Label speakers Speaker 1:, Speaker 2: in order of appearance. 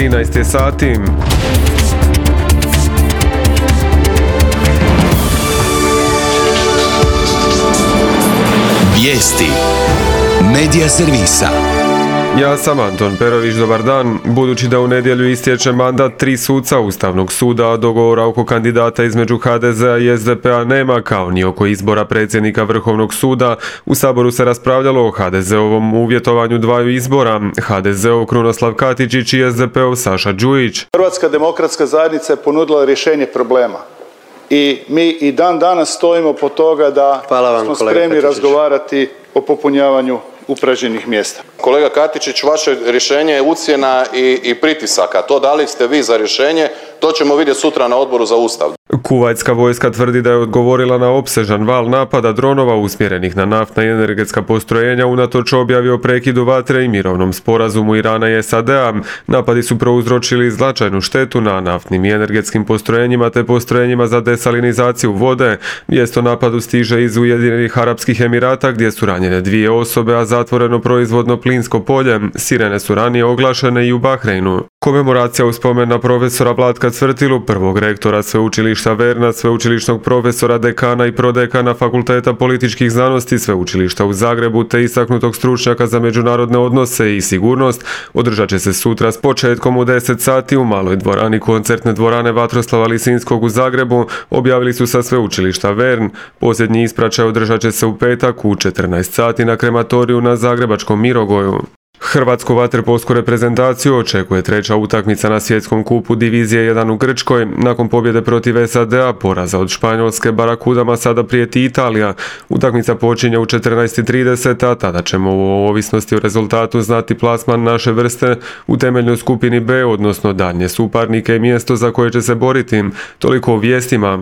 Speaker 1: 13 je sati.
Speaker 2: Vijesti Medija servisa.
Speaker 1: Ja sam Anton Perović, dobar dan. Budući da u nedjelju istječe mandat 3 suca Ustavnog suda, a dogovora oko kandidata između HDZ-a i SDP-a nema, kao ni oko izbora predsjednika Vrhovnog suda, u Saboru se raspravljalo o HDZ-ovom uvjetovanju dvaju izbora, HDZ-ov Krunoslav Katičić i SDP-ov Saša Đujić.
Speaker 3: Hrvatska demokratska zajednica je ponudila rješenje problema. I mi i dan danas stojimo po toga da smo spremni razgovarati o popunjavanju upražnjenih mjesta.
Speaker 4: Kolega Katičić, vaše rješenje je ucjena i pritisaka. To da li ste vi za rješenje, to ćemo vidjeti sutra na Odboru za Ustav.
Speaker 1: Kuvajtska vojska tvrdi da je odgovorila na opsežan val napada dronova usmjerenih na naftna i energetska postrojenja unatoč objavi o prekidu vatre i mirovnom sporazumu Irana i SAD-a. Napadi su prouzročili značajnu štetu na naftnim i energetskim postrojenjima te postrojenjima za desalinizaciju vode. Vijest o napadu stiže iz Ujedinjenih Arapskih Emirata gdje su ranjene 2 osobe, a zatvoreno proizvodno plinsko polje. Sirene su ranije oglašene i u Bahreinu. Komemoracija u spomen na profesora Vlatka Cvrtilu, prvog rektora Sveučilišta Verna, sveučilišnog profesora, dekana i prodekana Fakulteta političkih znanosti Sveučilišta u Zagrebu te istaknutog stručnjaka za međunarodne odnose i sigurnost, održat će se sutra s početkom u 10 sati u maloj dvorani koncertne dvorane Vatroslava Lisinskog u Zagrebu, objavili su sa Sveučilišta Vern. Posljednji ispraćaj održat će se u petak u 14 sati na krematoriju na zagrebačkom Mirogoju. Hrvatsku vaterpolsku reprezentaciju očekuje 3. utakmica na svjetskom kupu divizije 1 u Grčkoj. Nakon pobjede protiv SAD-a, poraza od Španjolske, Barakudama sada prijeti Italija. Utakmica počinje u 14:30, a tada ćemo u ovisnosti o rezultatu znati plasman naše vrste u temeljnoj skupini B, odnosno daljnje suparnike i mjesto za koje će se boriti. Toliko o vijestima.